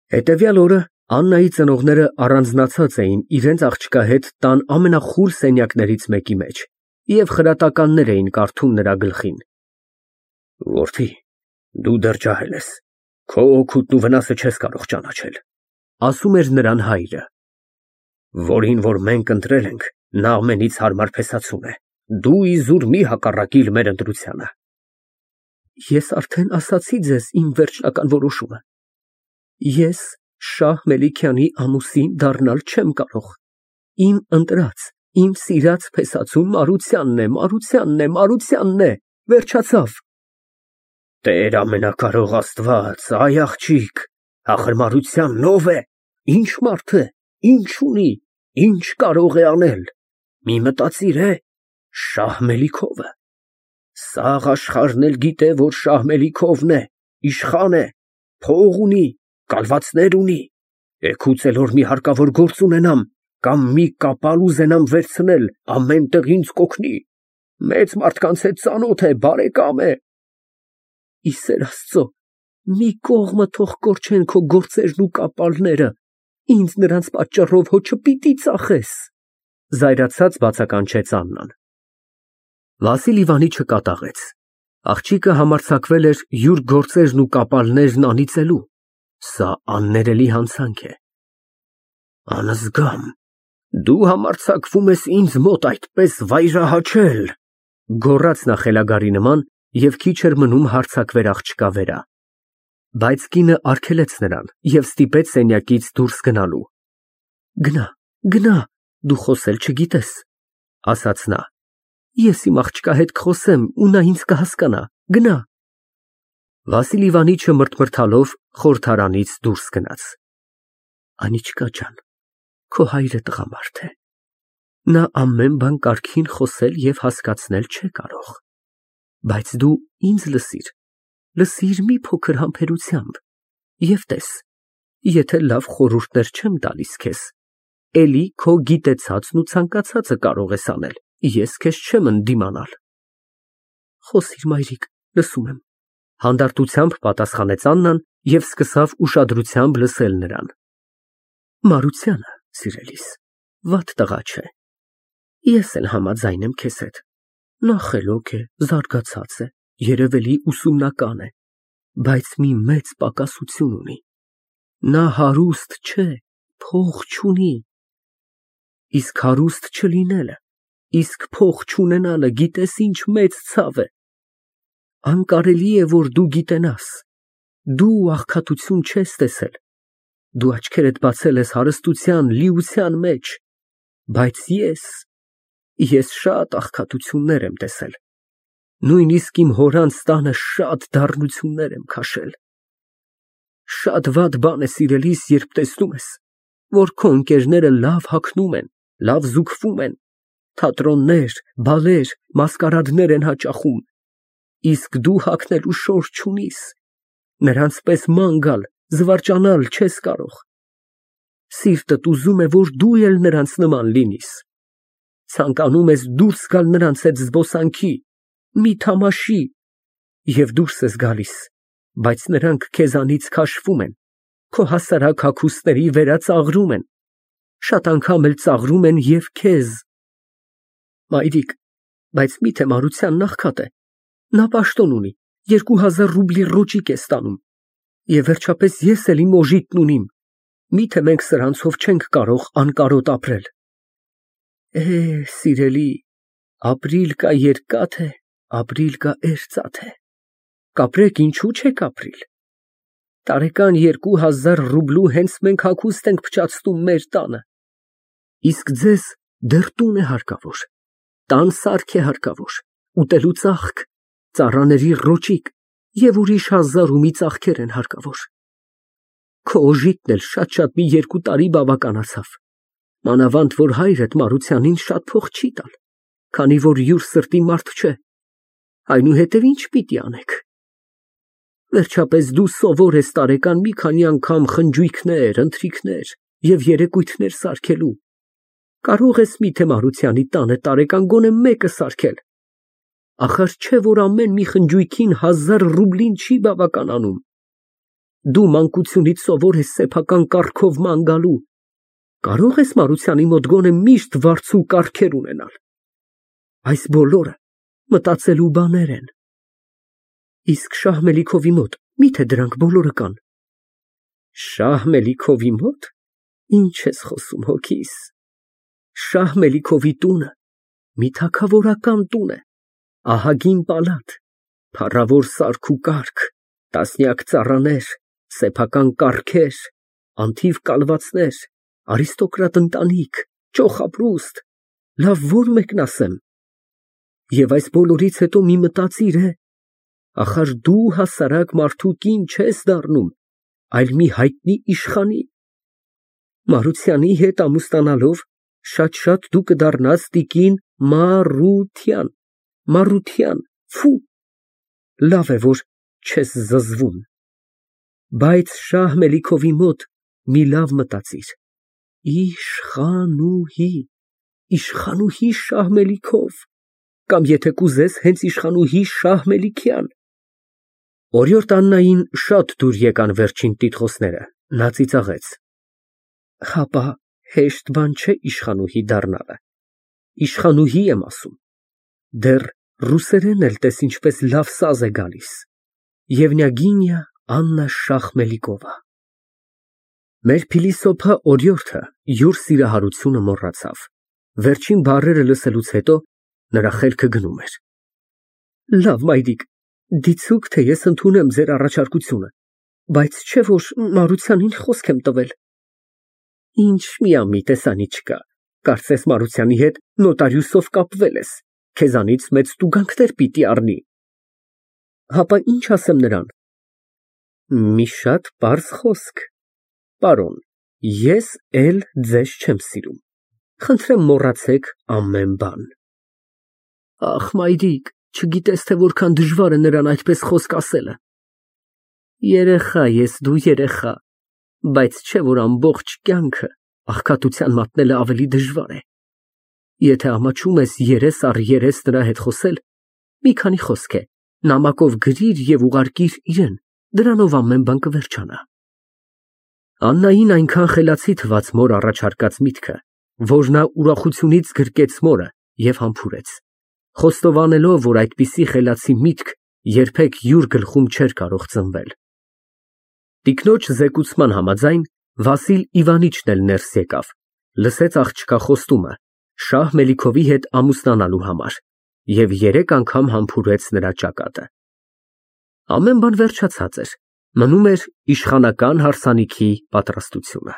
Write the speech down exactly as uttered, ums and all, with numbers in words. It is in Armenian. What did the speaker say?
Հետևյալ օրը Աննայի ծնողները առանձնացած էին իրենց աղջկա հետ տան ամենախուլ սենյակներից մեկի մեջ և խրատականներ էին կարդում նրա գլխին։ Որդի, դու դեռ ջահել ես, քո օգուտն ու վնասը չես կարող ճանաչել, ասում էր նրան հայրը։ Որին որ մենք ընտրել ենք, նա ամենից հարմար փեսացուն է, դու իզուր մի հակառակիր մեր ընտրությանը։ Ես արդեն ասացի ձեզ իմ վերջնական որոշումը։ Ես Շահ Մելիքյանի ամուսին դառնալ չեմ կարող։ Իմ ընտրած, իմ սիրած փեսացուն Մարությանն է, Մարությանն է, Մարությանն է, վերջացավ։ Տեր ամենակարող Աստված, այ աղջիկ, ախր Մարությանն ով է, ինչ մարդ է, ինչ ունի, ինչ կարող է անել։ Մի մտածիր է, Շահ Մելիքովը։ Սաղ աշխարհն էլ գիտե, որ Շահ Մելիքովն է, իշխան է, փող ունի, կալվածներ ունի, էգուց էլ որ մի հարկավոր գործ ունենամ, կամ մի կապալ ուզենամ վերցնել, ամեն տեղ ինձ կօգնի, մեծ մարդկանց հետ ծանոթ է, բարեկամ է։ Ի սեր Աստծո, մի կողմը թող կորչեն քո գործերն ու կապալները, ինձ նրանց պատճառով հո չպիտի ծախես, զայրացած բացականչեց Աննան։ Վասիլ Իվանիչը չկատաղեց, աղջիկը համարձակվել էր յուր գործերն ու կապալներն անիծելու, սա աններելի հանցանք է։ Անզգամ, դու համարձակվում ես ինձ մոտ այդպես վայրահաչել, գոռաց նա խելագարի նման և քիչ էր մնում հարձակվեր աղջկա վրա։ Բայց կինը արգելեց նրան և ստիպեց սենյակից դուրս գնալու։ Գնա, գնա, դու խոսել չգիտես, ասաց նա։ Ես իմ աղջկա հետ կխոսեմ ու նա ինձ կհասկանա, գնա։ Վասիլ Իվանիչը մռթմռթալով խորհրդարանից դուրս գնաց։ Անիչկա ջան, քո հայրը տղամարդ է։ Նա ամեն բան կարգին խոսել և հասկացնել չէ կարող։ Բայց դու ինձ լսիր, լսիր մի փոքր համբերությամբ և տես, եթե լավ խորհուրդներ չեմ տալիս քեզ, էլի քո գիտեցածն ու ցանկացածը կարող ես անել, ես քեզ չեմ ընդդիմանալ։ Խոսիր, մայրիկ, լսում եմ, հանդարտությամբ պատասխանեց Աննան և սկսավ ուշադրությամբ լսել նրան։ Մարությանը, սիրելիս, վատ տղա չէ։ Ես էլ համաձայն եմ քեզ հետ։ Նա խելոք է, զարգացած է, երևելի ուսումնական է, բայց մի մեծ պակասություն ունի։ Նա հարուստ չէ, փող չունի։ Իսկ հարուստ չլինելը, իսկ փող չունենալը գիտես ինչ մեծ ցավ է։ Անկարելի է, որ դու գիտենաս, դու աղքատություն չես տեսել, դու աչքերդ բացել ես հարստության, լիության մեջ, բայց ես, ես շատ աղքատություններ եմ տեսել, նույնիսկ իմ հորանց տանը շատ դառնություններ եմ քաշել։ Շատ վատ բան է, սիրելիս, երբ տեսնում ես, որ քո ընկերները լավ հագնում են, լավ զուգվում են, թատրոններ, բալեր, մասկարադներ են հաճախում, իսկ դու հագնելու շորջ չունիս, նրանց պես ման գալ, զվարճանալ չես կարող։ Սիրտդ ուզում է, որ դու էլ նրանց նման լինիս։ Ցանկանում ես դուրս գալ նրանց հետ զբոսանքի, մի թամաշի, և դուրս ես գալիս, բայց նրանք քեզանից քաշվում են, քո հասարակ հագուստների վերածաղրում են, շատ անգամ էլ ծաղրում են և քեզ։ Մայրիկ, բայց միթե Մարությանն աղքատ է, նա պաշտոն ունի, երկու հազար ռուբլի ռոճիկ է ստանում, և վերջապես ես էլ իմ օժիտն ունիմ, միթե մենք սրանցով չենք կարող անկարոտ ապրել։ Է, սիրելի, ապրիլ կա երկաթ է, ապրիլ կա էրծաթ է, կապրեք ինչու չեք ապրիլ։ Տարեկան երկու հազար ռուբլու հենց մենք հագուստ ենք փչացնում մեր տանը, իսկ ձեզ դեռ տուն է հարկավոր, տան սարք է հարկավոր, ուտելու ծախք, ծառաների ռոճիկ և ուրիշ հազար ու մի ծախքեր են հարկավոր։ Քո օժիտն էլ շատ֊շատ մի երկու տարի բավականացավ, մանավանդ որ հայրդ Մարությանին շատ փող չի տալ, քանի որ յուր սրտի մարդ չէ, այնուհետև ինչ պիտի անեք։ Վերջապես դու սովոր ես տարեկան մի քանի անգամ խնջույքներ, ընթրիքներ և երեկույթներ սարքելու, կարող ես միթե Մարությանի տանը տարեկան գոնե մեկը սարքել, ախար չէ որ ամեն մի խնջույքին հազար ռուբլին չի բավականանում։ Դու մանկությունից սովոր ես սեփական կառքով ման գալու, կարո՞ղ ես Մարությանի մոտ գոնե միշտ վարձու կառքեր ունենալ։ Այս բոլորը մտածելու բաներ են։ Իսկ Շահ Մելիքովի մոտ մի՞թե դրանք բոլորը կան։ Շահ Մելիքովի մոտ։ Ինչ ես խոսում հոգիս։ Շահ Մելիքովի տունը մի թագավորական տուն է, ահագին պալատ, փառավոր սարք ու կարգ, տասնյակ ծառաներ, սեփական կառքեր, անթիվ կալվածներ, արիստոկրատ ընտանիք, ճոխապրուստ, լավ ո՞ր մեկն ասեմ։ Եվ այս բոլորից հետո մի մտածիր է, ախար դու հասարակ մարդու կին չես դառնում, այլ մի հայտնի իշխանի։ Մարությանի հետ ամուսնանալով շատ֊շատ դու կդառնաս տիկին Մարության, Մարության, ֆի, լավ է, որ չես զզվում։ Բայց Շահ Մելիքովի մոտ մի լավ մտածիր, իշխանուհի, իշխանուհի Շահ Մելիքով, կամ եթե կուզես հենց իշխանուհի Շահ Մելիքյան։ Օրիորդ Աննային շատ դուր եկան վերջին տիտղոսները, նա ծիծաղեց։ Հապա հեշտ բան չէ իշխանուհի դառնալը, իշխանուհի եմ ասում, դեռ ռուսերեն էլ տես ինչպես լավ սազ է գալիս։ Եվնյագինիա Աննա Շահ Մելիքովա։ Մեր փիլիսոփա օրիորդը յուր սիրահարությունը մոռացավ, վերջին բառերը լսելուց հետո նրա խելքը գնում էր։ Լավ, մայրիկ, դիցուք, թե ես ընդունեմ ձեր առաջարկությունը, բայց չէ որ Մարությանին խոսք եմ տվել։ Ինչ միամիտ տեսանի չկա, կարծես Մարությանի հետ նոտարիուսով կապվել ես, քեզանից մեծ տուգանքներ պիտի առնի։ Հապա ինչ ասեմ նրան։ Մի շատ պարզ խոսք, պարոն, ես էլ ձեզ չեմ սիրում, խնդրեմ մոռացեք ամեն բան։ Ախ, մայրիկ, չգիտես, թե որքան դժվար է նրան այդպես խոսք ասելը։ Երեխա ես, դու երեխա, բայց չէ որ ամբողջ կյանքը աղքատության մատնելը ավելի դժվար է։ Եթե ամաչում ես երես առ երես նրա հետ խոսել, մի քանի խոսք է, նամակով գրիր և ուղարկիր իրան, դրանով ամեն բան կվերջանա։ Աննային այնքան խելացի թվաց մոր առաջարկած միտքը, որ նա ուրախությունից գրկեց մորը և համբուրեց, խոստովանելով, որ այդպիսի խելացի միտք երբեք յուր գլխում չէր կարող ծնվել։ Տիկնոջ զեկուցման համաձայն Վասիլ Իվանիչն էլ ներս եկավ, լսեց աղջկա խոստումը Շահ Մելիքովի հետ ամուսնանալու համար և երեք անգամ համբուրեց նրա ճակատը։ Ամեն բան վերջացած էր, մնում էր իշխանական հարսանիքի պատրաստությունը։